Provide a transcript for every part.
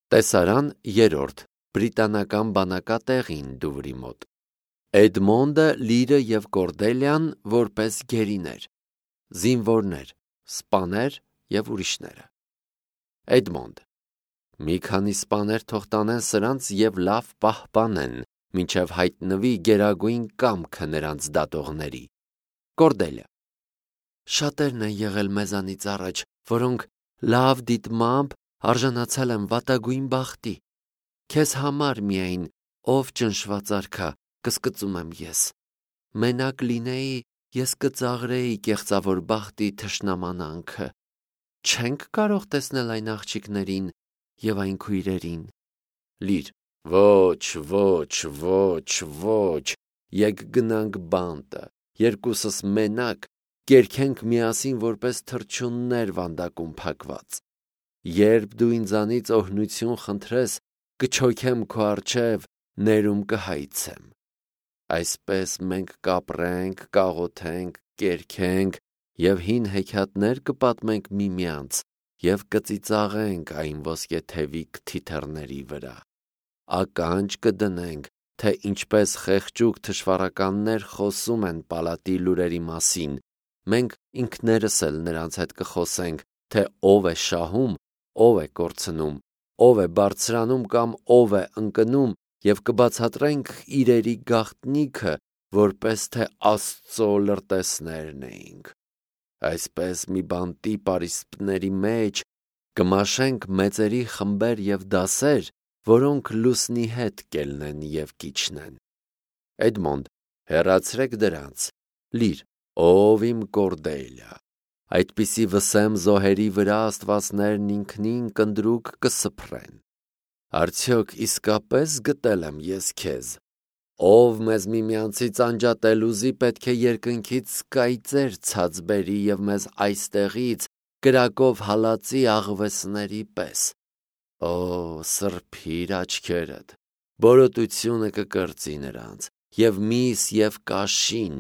Տեսարան 3. Բրիտանական բանակատեղին Դուվրի մոտ։ Էդմոնդը, Լիրը և Կորդելիան որպես գերիներ, զինվորներ, սպաներ և ուրիշները։ Էդմոնդ. մի քանի սպաներ թող տանեն սրանց և լավ պահպանեն, մինչև հայտնվի գերագույն կամքը նրանց դատողների։ Կորդելիա. շատերն են եղել մեզանից առաջ, որոնք լավ դիտմամբ արժանացել են վատագույն բախտի։ Քեզ համար միայն, ով ճնշված արքա, կսկծում եմ ես։ Մենակ լինեի, ես կծաղրեի կեղծավոր բախտի թշնամանանքը։ Չենք կարող տեսնել այն աղջիկներին և այն քույրերին։ Լիր. ոչ, եկ գնանք բանտը, երկուսս մենակ, կերքենք միասին որպես թռչուններ վանդակում փակված։ Երբ դու ինձանից օրհնություն խնդրես, կչոքեմ քո առջև, ներում կհայցեմ։ Այսպես մենք կապրենք, կաղոթենք, կերքենք և հին հեքիաթներ կպատմենք միմյանց և կծիծաղենք այն ոսկեթևիկ թիթեռների վրա։ Ականջ կդնենք, թե ինչպես խեղճուկ թշվառականներ խոսում են պալատի լուրերի մասին, մենք ինքներս էլ նրանց հետ կխոսենք, թե ով է շահում, ով է կորցնում, ով է բարձրանում կամ ով է ընկնում և կբացատրենք իրերի գաղտնիքը, որպես թե Աստծո լրտեսներն էինք։ Այսպես մի բանտի պարիսպների մեջ կմաշենք մեծերի խմբեր և դասեր, որոնք լուսնի հետ կելնեն և կիջնեն։ Էդմոնդ. հեռացրեք դրանց։ Լիր. ով իմ Կորդելիա, այդպիսի վսեմ զոհերի վրա աստվածներն ինքնին կնդրուկ կսփռեն։ Արդյոք իսկապես գտել եմ ես քեզ։ Ով մեզ միմյանցից անջատել ուզի, պետք է երկնքից կայծեր ցած բերի և մեզ այստեղից կրակով հալածի աղվեսների պես։ Օ, սրբիր աչքերդ, բորոտությունը կկրծի նրանց, և միս և կաշին,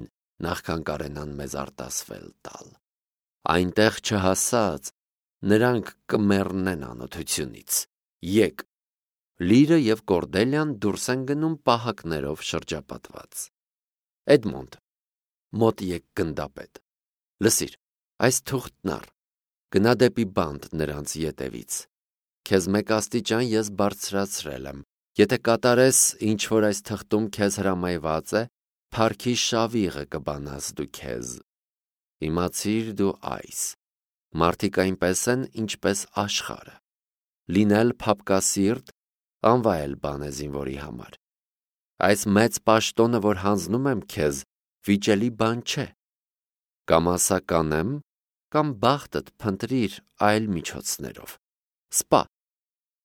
նախքան կարենան մեզ արտասվել տալ։ Այնտեղ չհասած, նրանք կմեռնեն անօթությունից։ Եկ։ Լիրը և Կորդելիան դուրս են գնում պահակներով շրջապատված։ Էդմոնդ. մոտ եկ գնդապետ։ Լսիր, այս թուղթն առ, գնա դեպի բանտ նրանց ետևից։ Քեզ մեկ աստիճան ես բարձրացրել եմ։ Եթե կատարես, ինչ որ այս թղթում քեզ հրամայված է, փառքի շավիղը կբանաս դու քեզ։ Իմացիր դու այս. մարդիկ այնպես են, ինչպես աշխարհը։ Լինել փափկասիրտ, անվայել բան է զինվորի համար։ Այս մեծ պաշտոնը, որ հանձնում եմ քեզ, վիճելի բան չէ։ Կամ ասա կանեմ, կամ բախտդ փնտրիր այլ միջոցներով։ Սպա.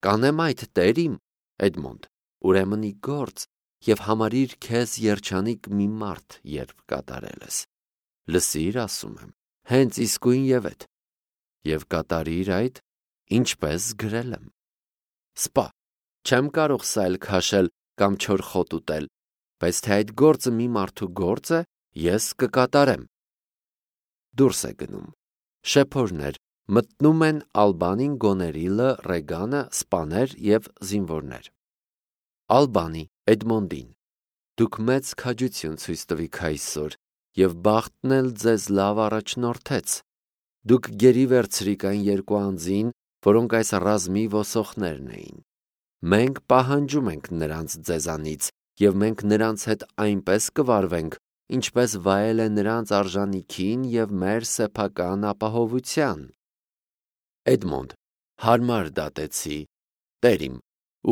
կանեմ այդ տերիմ, Էդմոնդ, ուրեմն ի գործ և համարիր քեզ երջանիկ մի մարդ, երբ կատարել ես։ Լսիր, ասում եմ, հենց իսկույն և էդ, և կատարիր այդ, ինչպես գրել եմ։ Սպա. չեմ կարող սայլ քաշել կամ չոր խոտ ուտել, բայց թե այդ գործը մի մարդու գործ է, ես կկատարեմ։ Դուրս է գնում։ Շեփորներ մտնում են Ալբանին, Գոներիլը, Ռեգանը, սպաներ և զինվորներ։ Ալբանի Էդմոնդին. դուք մեծ քաջություն ցույց տվիք այսօր, և բախտն էլ ձեզ լավ առաջնորդեց։ Դուք գերի վերցրիք այն երկու անձին, որոնք այս ռազմի ոսողներն էին։ Մենք պահանջում ենք նրանց ձեզանից, և մենք նրանց հետ այնպես կվարվենք, ինչպես վայել է նրանց արժանիքին և մեր սեփական ապահովության։ Էդմոնդ. հարմար դատեցի, տերիմ,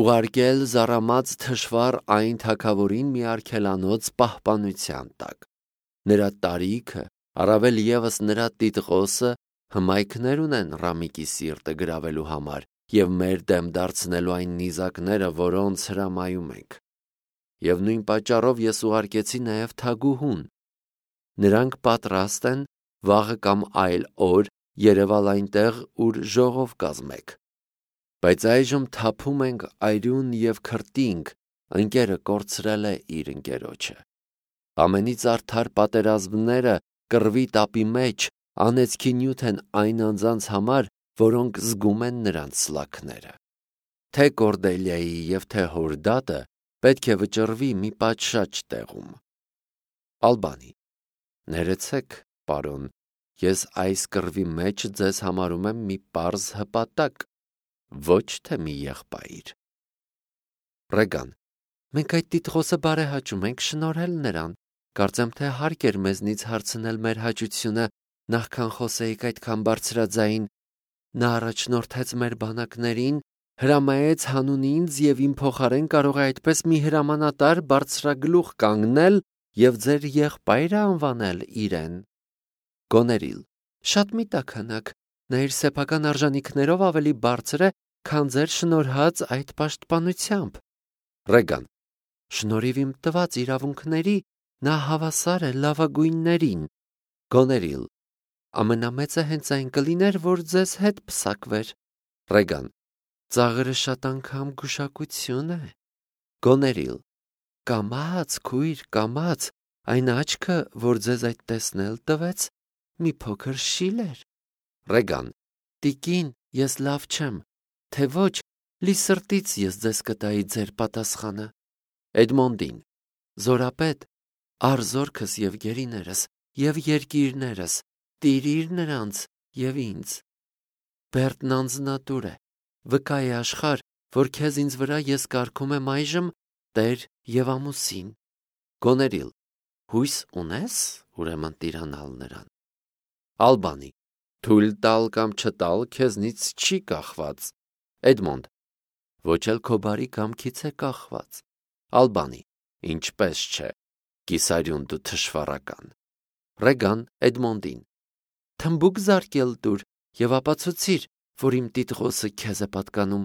ուղարկել զառամած թշվառ այն թագավորին մի արգելանոց պահպանության տակ։ Նրա տարիքը, առավել ևս նրա տիտղոսը հմայքներ ունեն Ռամիկի սիրտը գրավելու համար և մեր դեմ դարձնելու այն նիզակները, որոնց հրամայում ենք։ Եվ նույն պատճառով ես ուղարկեցի նաև թագուհուն։ Նրանք պատրաստ են վաղը կամ այլ օր երևալ այնտեղ, ուր ժողով կազմեք։ Բայց այժմ թափում ենք այրուն և քրտինք, ընկերը կորցրել է իր ընկերոջը։ Ամենից արդար պատերազմները կռվի տապի մեջ անեծքի նյութ են այն անձանց համար, որոնք զգում են նրանց սլաքները։ թե Կորդելիայի և թե հորդատը պետք է վճռվի մի պատշաճ տեղում։ Ալբանի. Ներեցեք, պարոն, ես այս կռվի մեջ ձեզ համարում եմ մի պարզ հպատակ, ոչ թե մի եղբայր։ Ռեգան. Մենք այդ տիտղոսը բարեհաճում ենք, շնորհել նրան։ Կարծեմ, թե հարկ էր մեզնից հարցնել մեր հաճությունը, նախքան խոսեիք այդքան բարձրաձայն։ Նա առաջնորդեց մեր բանակներին, հրամայեց հանուն ինձ և իմ փոխարեն կարող է այդպես մի հրամանատար բարձրագլուխ կանգնել և ձեր եղբայրը անվանել իրեն։ Գոներիլ. Շատ մի տաքանակ, նա իր սեփական արժանիքներով ավելի բարձր է, քան ձեր շնորհած այդ պաշտպանությամբ։ Ռեգան. Շնորհիվ իմ տված իրավունքների նա հավասար է լավագույններին։ Գոներիլ. Ամենամեծը հենց այն կլիներ, որ ձեզ հետ պսակվեր։ Ռեգան. Ծաղրը շատ անգամ գուշակություն է։ Գոներիլ. Կամաց, քույր, կամաց, այն աչքը, որ ձեզ այդ տեսնել տվեց, մի փոքր շիլ էր։ Ռեգան. Տիկին, ես լավ չեմ, թե ոչ, լի սրտից ես ձեզ կտայի ձեր պատասխանը։ Էդմոնդին. Զորապետ, արզորքս և գերիներս և երկիրներս, տիրիր նրանց և ինձ։ Բերդն անձնատուր է, վկա է աշխարհ, որ քեզ ինձ վրա ես կարգում եմ այժմ տեր և ամուսին։ Գոներիլ. Հույս ունես, ուրեմն տիրանալ նրան։ Ալբանի. Թույլ տալ կամ չտալ քեզնից չի կախված։ Էդմոնդ. Ոչ էլ քո բարի կամքից է կախված։ Ալբանի. Ինչպես չէ, կիսարյուն դու թշվառական։ Ռեգան Էդմոնդին. Թմբուկ զարկել տուր և ապացուցիր, որ իմ տիտղոսը քեզ է պատկանում։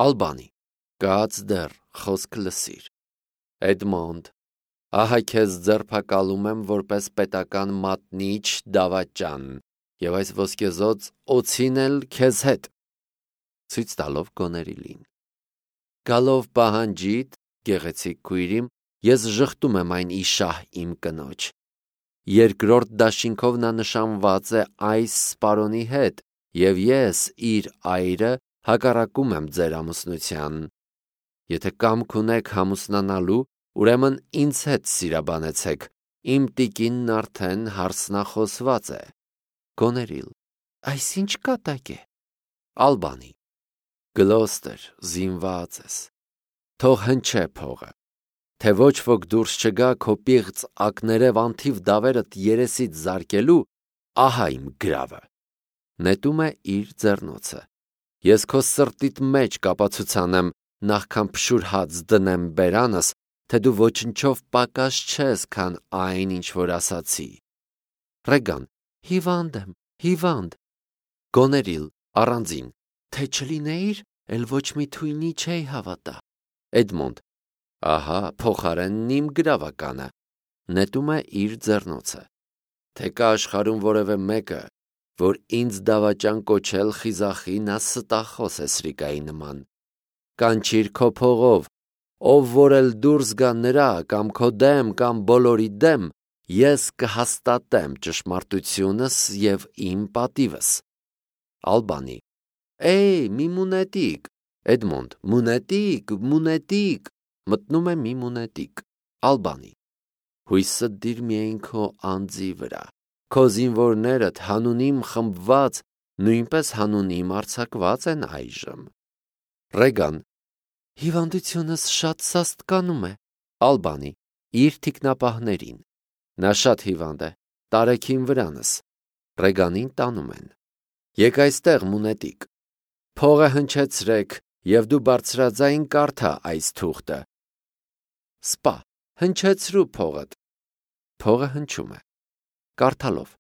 Ալբանի. Կաց դեռ, խոսք լսիր։ Էդմոնդ. Ահա քեզ ձերբակալում եմ որպես պետական մատնիչ դավաճան և այս ոսկեզօծ օձին էլ քեզ հետ։ Ցույց տալով Գոներիլին. Գալով պահանջիդ, գեղեցիկ քույրիմ, ես ժխտում եմ այն իշահ իմ կնոջ։ Երկրորդ դաշինքով նա նշանված է այս սպարոնի հետ, և ես, իր այրը, հակառակում եմ ձեր ամուսնության։ Եթե կամք ունեք ամուսնանալու, ուրեմն ինձ հետ սիրաբանեցեք, իմ տիկինն արդեն հարսնախոսված է։ Գոներիլ. Այսինչ կատակ է։ Ալբանի. Գլոստեր, զինված ես։ Թող հնչե փողը, թե ոչ ոք դուրս չգա քո պիղծ ակներև անթիվ դավերդ երեսից զարկելու, ահա իմ գրավը։ Նետում է իր ձեռնոցը։ Ես քո սրտիդ մեջ կապացուցան եմ, նախքան փշուր հաց դնեմ բերանս, թե դու ոչնչով պակաս չես, քան այն, ինչ որ ասացի։ Ռեգան. Հիվանդ եմ, հիվանդ։ Գոներիլ առանձին. Թե չլինեիր, էլ ոչ մի թույնի չէի հավատա։ Էդմոնդ. Ահա փոխարենն իմ գրավականը։ Նետում է իր ձեռնոցը։ Թե կա աշխարհում որևէ մեկը, որ ինձ դավաճան կոչել խիզախի, նա ստախոս է սրիկայի նման։ Կանչիր քո փողով, ով որ էլ դուրս գա նրա կամ քո դեմ կամ բոլորի դեմ, ես կհաստատեմ ճշմարտությունս և իմ պատիվս։ Ալբանի. մի մունետիկ։ Էդմոնդ. Մունետիկ։ Մտնում է մի մունետիկ։ Ալբանի. Հույսը դիր միայն քո անձի վրա։ Քո զինվորներդ հանունիմ խմբված, նույնպես հանունիմ արձակված են այժմ։ Ռեգան. Հիվանդությունս շատ սաստկանում է։ Ալբանի. Իր թիկնապահներին։ Նա շատ հիվանդ է, տարեքին վրանս։ Ռեգանին տանում են։ Եկ այստեղ, մունետիկ։ Փողը հնչեցրեք, և դու բարձրաձայն կարդա այս թուղթը։ Սպա, հնչեցրու փողդ։ Փողը հնչում է։ Կարդալով.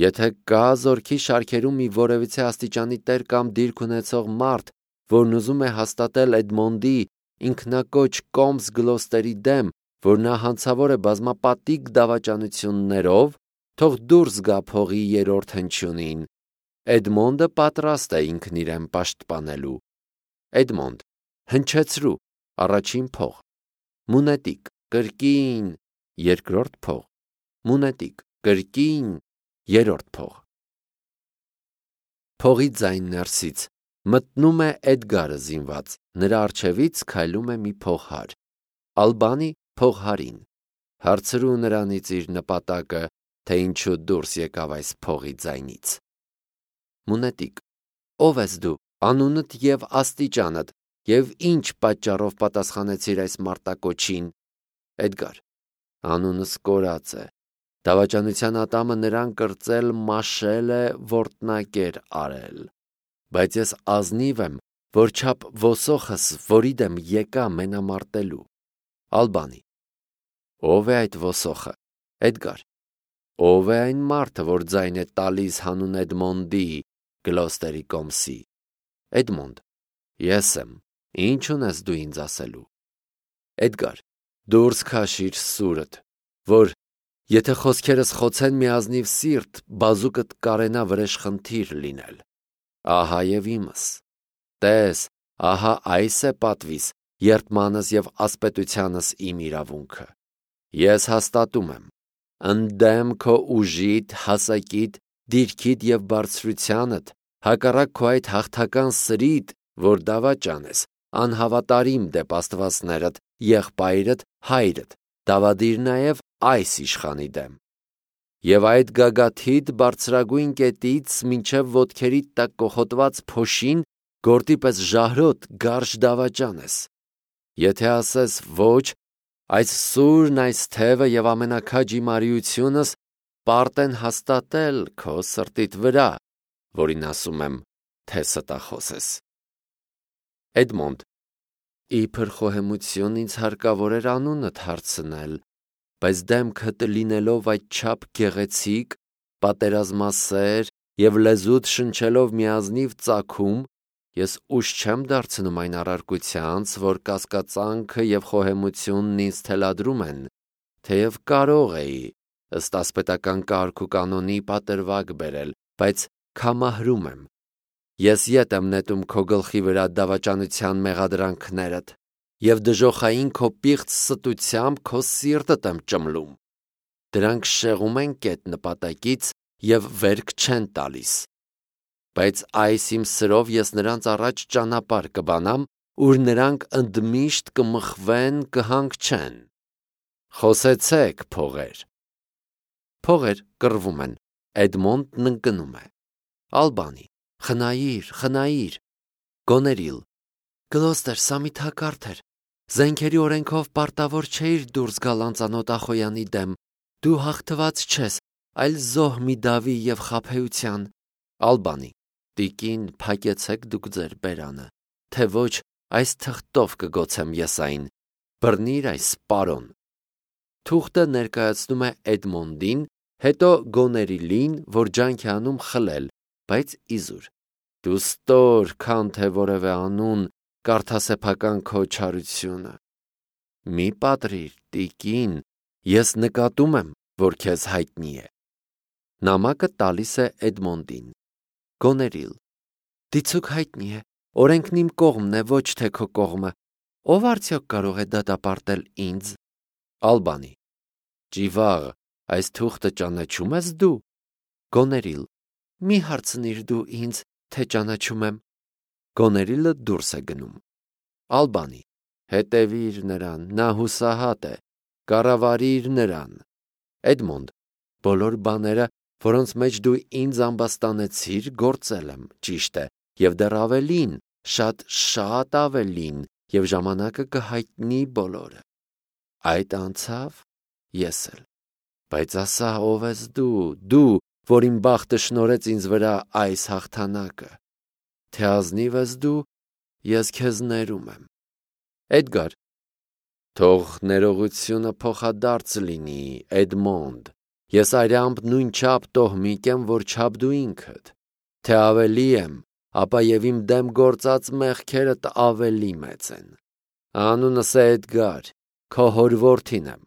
Եթե կա զորքի շարքերում մի որևիցե աստիճանի տեր կամ դիրք ունեցող մարդ, որն ուզում է հաստատել Էդմոնդի ինքնակոչ Կոմս Գլոստերի դեմ, որ նա հանցավոր է բազմապատիկ դավաճանություններով, թող դուրս գա փողի երրորդ հնչյունին։ Էդմոնդը պատրաստ է ինքն իրեն պաշտպանելու։ Էդմոնդ. հնչեցրու, առաջին փող։ Մունետիկ, կրկին, երկրորդ փող։ Մունետիկ, կրկին, երրորդ փող։ Փողի ձայն ներսից Մտնում է Էդգարը զինված, նրա առջևից քայլում է մի փողհար։ Ալբանի փողհարին։ Հարցրու նրանից իր նպատակը, թե ինչու դուրս եկավ այս փողի ձայնից։ Մունետիկ. Ով ես դու, անունդ եւ աստիճանդ, եւ ինչ պատճառով պատասխանեցիր այս մարտակոչին։ Էդգար. Անունս կորած է։ Դավաճանության ատամը նրան կրծել, մաշել է, որտնակեր արել։ Բայց ես ազնիվ եմ, որ չափ ոսոխս, որի դեմ եկա մենամարտելու։ Ալբանի. Ով է այդ ոսոխը։ Էդգար. ով է այն մարդը, որ ձայն է տալիս հանուն Էդմոնդի, Գլոստերի կոմսի։ Էդմոնդ. ես եմ, ինչ ունես դու ինձ ասելու։ Էդգար. դուրս քաշիր սուրդ, որ եթե խոսքերս խոցեն մի ազնիվ սիրտ, բազուկդ կարենա վրեժխնդիր լինել։ Ահա եւ իմս։ Տես, ահա այս է պատվիս, երդմանս եւ ասպետությանս իմ իրավունքը։ Ես հաստատում եմ, ընդդեմ քո ուժիդ, հասակիդ, դիրքիդ եւ բարձրությանդ, հակառակ քո այդ հաղթական սրիդ, որ դավաճան ես, անհավատարիմ դեպ աստվածներդ, եղբայրդ, հայրդ, դավադիր նաեւ այս իշխանի դեմ։ Եվ այդ գագաթիդ բարձրագույն կետից մինչև ոտքերիդ տակ կոխոտված փոշին գործի պես ժահրոտ գարշ դավաճան ես։ Եթե ասես ոչ, այս սուրն, այս թևը եւ ամենակաջ իմ արիությունս պարտ են հաստատել քո սրտիդ վրա, որին ասում եմ, թե ստախոս ես։ Էդմոնդ. իբր խոհեմություն ինձ հարկավոր էր անունդ հարցնել, բայց դեմքդ լինելով այդչափ գեղեցիկ, պատերազմասեր եւ լեզուդ շնչելով միազնիվ ծագում, ես ուշ չեմ դարձնում այն առարկությանց, որ կասկածանքը եւ խոհեմությունն ինձ թելադրում են, թեև կարող էի ըստ ասպետական կարգ ու կանոնի պատրվակ բերել, բայց քամահրում եմ։ Ես ետ եմ նետում քո գլխի վրա դավաճանության մեղադրանքներդ եւ դժոխային քո պիղծ ստությամբ քո սիրտդ եմ ճմլում։ Դրանք շեղում են կետ նպատակից եւ վերք չեն տալիս։ Բայց այս իմ սրով ես նրանց առաջ ճանապարհ կբանամ, ուր նրանք ընդմիշտ կմխվեն, կհանգչեն։ Խոսեցեք, փողեր։ Փողեր կռվում են։ Էդմոնդն ընկնում է։ Ալբանի. խնայիր։ Գոներիլ. Գլոստեր, սա մի թակարդ էր։ Զենքերի օրենքով պարտավոր չէիր դուրս գալ անծանոթ ախոյանի դեմ։ Դու հաղթված չես, այլ զոհ մի դավի եւ խաբեության։ Ալբանի. տիկին, փակեցեք դուք ձեր բերանը, թե ոչ այս թղթով կգոցեմ ես այն։ Բռնիր այս պարոն։ Թուղթը ներկայացնում է Էդմոնդին, հետո Գոներիլին, որ ջանք է անում խլել, բայց իզուր։ Դու ստոր, քան թե որևէ անուն, կարդասեփական քո չարությունը։ Մի պատրիր, տիկին, ես նկատում եմ, որ քեզ հայտնի է։ Նամակը տալիս է Էդմոնդին։ Գոներիլ. դիցուք հայտնի է, օրենքն իմ կողմն է, ոչ թե քո կողմը։ Ով արդյոք կարող է դատապարտել ինձ։ Ալբանի. Ճիվաղ, այս թուղթը ճանաչում ես դու։ Գոներիլ. մի հարցնիր դու ինձ, թե ճանաչում եմ։ Գոներիլը դուրս է գնում։ Ալբանի. հետևիր նրան, նա հուսահատ է, կառավարիր նրան։ Էդմոնդ. բոլոր բաները, որոնց մեջ դու ինձ ամբաստանեցիր, գործել եմ, ճիշտ է, եւ դեռ ավելին, շատ ավելին, եւ ժամանակը կհայտնի բոլորը։ Այդ անցավ, ես էլ։ Բայց ասա, ով ես դու, որ իմ բախտը շնորհեց ինձ վրա այս հաղթանակը։ Թե ազնիվ ես դու, ես քեզ ներում եմ։ Էդգար. թող ներողությունը փոխադարձ լինի, Էդմոնդ։ Ես արյամբ նույն չափ տոհմիկ եմ, որ չափ դու ինքդ։ Թե ավելի եմ, ապա եւ իմ դեմ գործած մեղքերդ ավելի մեծ են։ Անունս է Էդգար, քո հոր որդին եմ։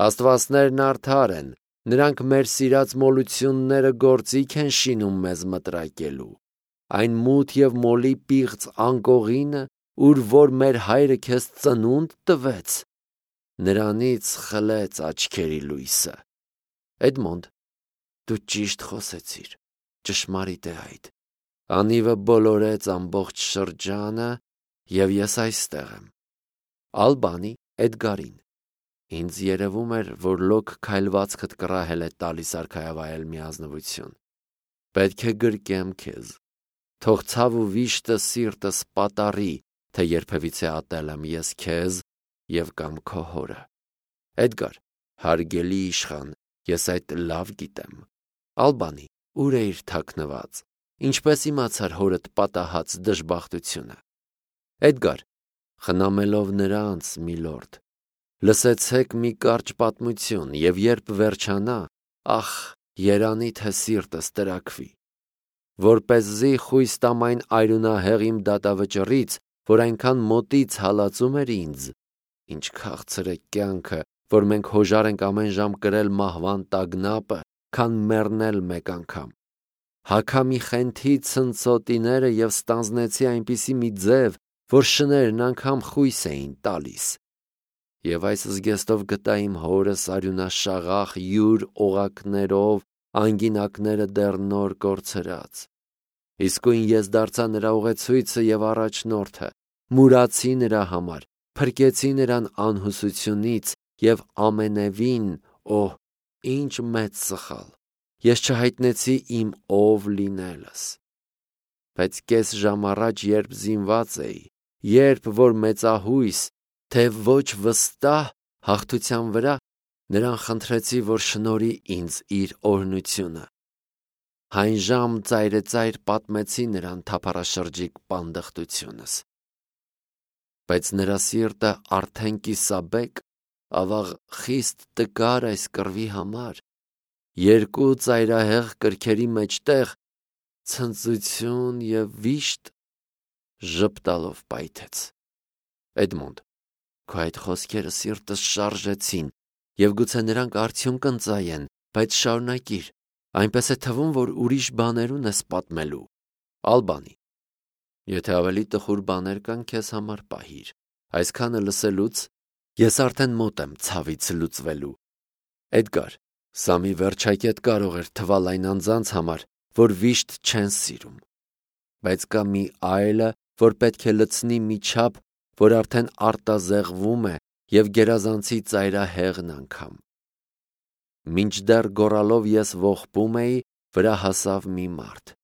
Աստվածներն արդար են, նրանք մեր սիրած մոլությունները գործիք են շինում մեզ մտրակելու։ Այն մութ եւ մոլի պիղծ անկողինը, ուր որ մեր հայրը քեզ ծնունդ տվեց, նրանից խլեց աչքերի լույսը։ Էդմոնդ, դու ճիշտ խոսեցիր, ճշմարիտ է այդ։ Անիվը բոլորեց ամբողջ շրջանը, և ես այստեղ եմ։ Ալբանի Էդգարին։ Ինձ երևում էր, որ լոկ քայլվածքդ կռահել է տալիս արքայավայել մի ազնվություն։ Պետք է գրկեմ քեզ։ Թող ցավ ու վիշտը սիրտս պատառի, թե երբևիցե ատել եմ ես քեզ և կամ քո հորը։ Էդգար, հարգելի իշխան, ես այդ լավ գիտեմ։ Ալբանի, ուր էիր թաքնված, ինչպես իմացար հորդ պատահած դժբախտությունը։ Էդգար, խնամելով նրանց, միլորդ, լսեցեք մի կարճ պատմություն, և երբ վերջանա, ախ, երանի թե սիրտս տրաքվի, որպեսզի խույս տամ այն այրունահեղ իմ դատավճռից, որ այնքան մոտից հալածում էր ինձ, ինչ քաղցր է կյանքը, որ մենք հոժար ենք ամեն ժամ կրել մահվան տագնապը, քան մեռնել մեկ անգամ։ Հագա մի խենթի ցնցոտիները և ստանձնեցի այնպիսի մի ձև, որ շներն անգամ խույս էին տալիս։ Եվ այս զգեստով գտա իմ հորս արյունաշաղախ յուր օղակներով, անգինակները դեռ նոր կորցրած։ Իսկույն ես դարձա նրա ուղեցույցը և առաջնորդը, մուրացի նրա համար, փրկեցի նրան անհուսությունից և ամենևին, օհ, ինչ մեծ սխալ, ես չհայտնեցի իմ ով լինելս։ Բայց կես ժամ առաջ, երբ զինված էի, երբ որ մեծահույս, թե ոչ վստահ հաղթության վրա, նրան խնդրեցի, որ շնորհի ինձ իր օրհնությունը։ Հայն ծայրեծայր պատմեցի նրան թափառաշրջիկ պանդխտությունս։ Բայց նրա սիրտը արդեն կիսաբեկ, ավաղ խիստ տկար այս կռվի համար, երկու ծայրահեղ կրքերի մեջտեղ ցնծություն և վիշտ ժպտալով պայթեց։ Էդմոնդ, քո այդ խոսքերը սիրտս շարժեցին, և գուցե նրանք արդյունք ընծայեն, բայց շարունակիր, այնպես է թվում, որ ուրիշ բաներուն ես պատմելու։ Ալբանի, եթե ավելի տխուր բաներ կան, քեզ համար պահիր, այսքանը լսելուց ես արդեն մոտ եմ ցավից լուծվելու։ Էդգար, սա մի վերջակետ կարող էր թվալ այն անձանց համար, որ վիշտ չեն սիրում, բայց կա մի այլը, որ պետք է լցնի մի չափ, որ արդեն արտազեղվում է և գերազանցի ծայրահեղն անգամ։ Մինչդեռ գոռալով ես ողբում էի, վրա հասավ մի մարդ։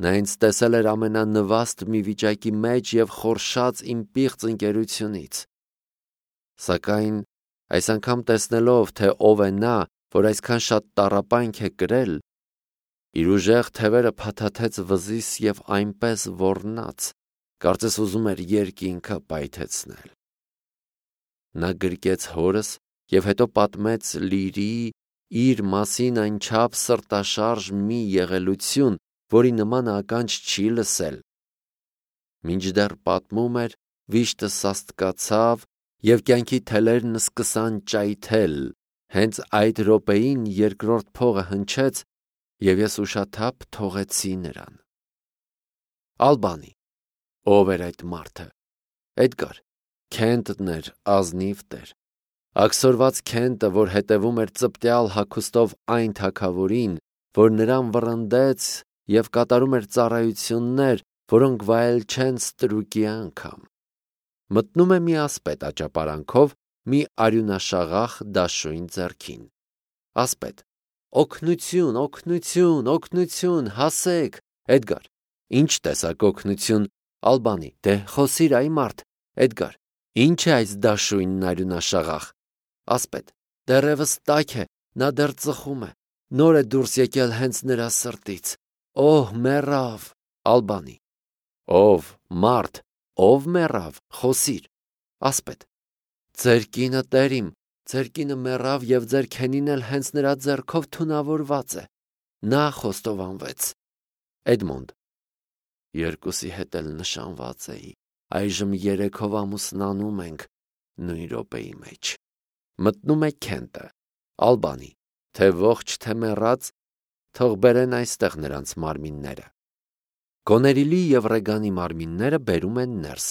Նա ինձ տեսել էր ամենանվաստ մի վիճակի մեջ և խորշաց իմ պիղծ ընկերությունից։ Սակայն այս անգամ տեսնելով, թե ով է նա, որ այսքան շատ տառապանք է կրել, իր ուժեղ թևերը փաթաթեց վզիս և այնպես ոռնաց, կարծես ուզում էր երկինքը պայթեցնել։ Նա գրկեց հորս և հետո պատմեց լիրի իր մասին այնչափ սրտաշարժ մի եղելություն, որի նման ականջ չի լսել։ Մինչդեռ պատմում էր, վիշտը սաստկացավ և կյանքի թելերն սկսան ճայթել, հենց այդ րոպեին երկրորդ փողը հնչեց, և ես ուշաթափ թողեցի նրան։ Ալբանի, ով էր այդ մարդը։ Էդգար, Քենտն էր ազնիվ տեր, աքսորված Քենտը, որ հետևում էր ծպտյալ հագուստով այն թագավորին, որ նրան վռնդեց և կատարում էր ծառայություններ, որոնք վայել չեն ստրուկի անգամ։ Մտնում է մի ասպետ աճապարանքով մի արյունաշաղախ դաշույն ձեռքին։ Ասպետ. օգնություն, օգնություն, օգնություն, հասեք։ Էդգար. ինչ տեսակ օգնություն։ Ալբանի. դե խոսիր այ մարդ։ Էդգար. ինչ է այս դաշույնն արյունաշաղախ։ Ասպետ. դեռևս տաք է, նա դեռ ծխում է, նոր է դուրս եկել հենց նրա սրտից։ Օհ, մեռավ։ Ալբանի. ով, մարդ, ով մեռավ, խոսիր։ Ասպետ. ձեր կինը, տեր իմ, ձեր կինը մեռավ և ձեր քենին էլ հենց նրա ձեռքով թունավորված է, նա խոստովանվեց։ Էդմոնդ. երկուսի հետ էլ նշանված էի, այժմ 3-ով ամուսնանում ենք նույն րոպեի մեջ։ Մտնում է Քենտը։ Ալբանի. թե ողջ, թե մեռած, թող բերեն այստեղ նրանց մարմինները։ Գոներիլի և Ռեգանի մարմինները բերում են ներս։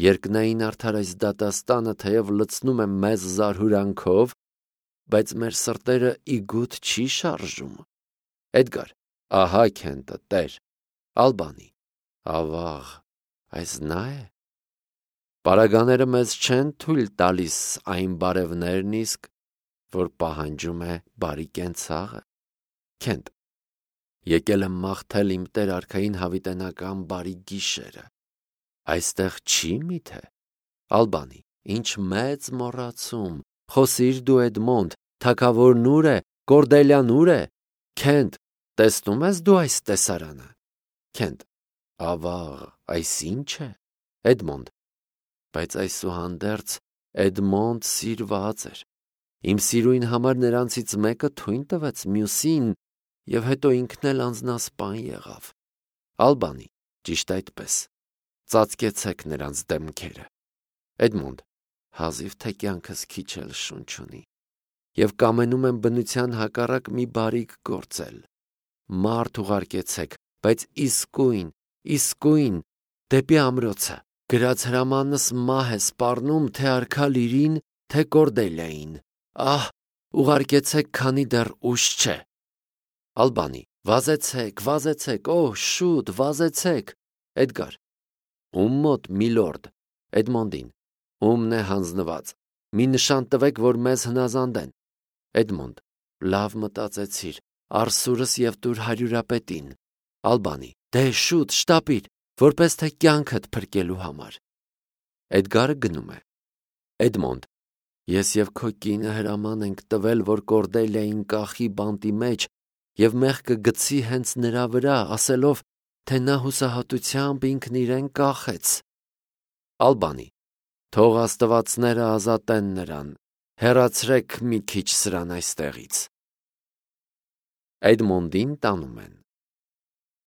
Երկնային արդար այս դատաստանը թեև լցնում է մեզ զարհուրանքով, բայց մեր սրտերը իգուտ չի շարժում։ Էդգար. ահա Քենտը, տեր, Ալբանի. Ավաղ, այս նա է։ Պարագաները մեզ չեն թույլ տալիս այն բարևներն իսկ, որ պահանջում է բարի կենցաղը։ Քենտ. եկել եմ մաղթել իմ Տեր արքային հավիտենական բարի գիշերը։ Այստեղ չի միթե։ Ալբանի. ինչ մեծ մոռացում, խոսիր դու Էդմոնդ, թագավորն ուր է, Կորդելյան ուր է։ Քենտ, տեսնում ես դու այս տեսարանը։ Քենտ. ավաղ, այս ինչ է։ Էդմոնդ. բայց այսուհանդերձ Էդմոնդ սիրված էր։ Իմ սիրույն համար նրանցից մեկը թույն տվեց մյուսին, և հետո ինքն էլ անձնասպան եղավ։ Ալբանի. ճիշտ այդպես, ծածկեցեք նրանց դեմքերը։ Էդմոնդ. հազիվ թե կյանքս քիչ էլ շունչ ունի, և կամենում եմ բնության հակառակ մի բարիք գործել։ Մարդ ուղարկեցեք, բայց իսկույն, դեպի ամրոցը, գրած հրամանս մահ է սպառնում թե արքա Լիրին, թե Կորդելիային։ Ահ, ուղարկեցեք, քանի դեռ ուշ չէ։ Ալբանի. վազեցեք, օ, շուտ, վազեցեք։ Էդգար. ում մոտ, միլորդ։ Էդմոնդին. ումն է հանձնված։ Մի նշան տվեք, որ մեզ հնազանդեն։ Էդմոնդ. լավ մտածեցիր, արսուրս և տուր հարյուրապետին։ Ալբանի. դե շուտ, շտապիր, որպես թե կյանքդ փրկելու համար։ Էդգարը գնում է։ Էդմոնդ. ես և քո կինը հրաման ենք տվել, որ Կորդելիային կախի բանտի մեջ և մեղքը գցի հենց նրա վրա, ասելով, թե նա հուսահատությամբ ինքն իրեն կախեց։ Ալբանի. թող աստվածները ազատեն նրան, հեռացրեք մի քիչ սրան այստեղից։ Էդմոնդին տանում են։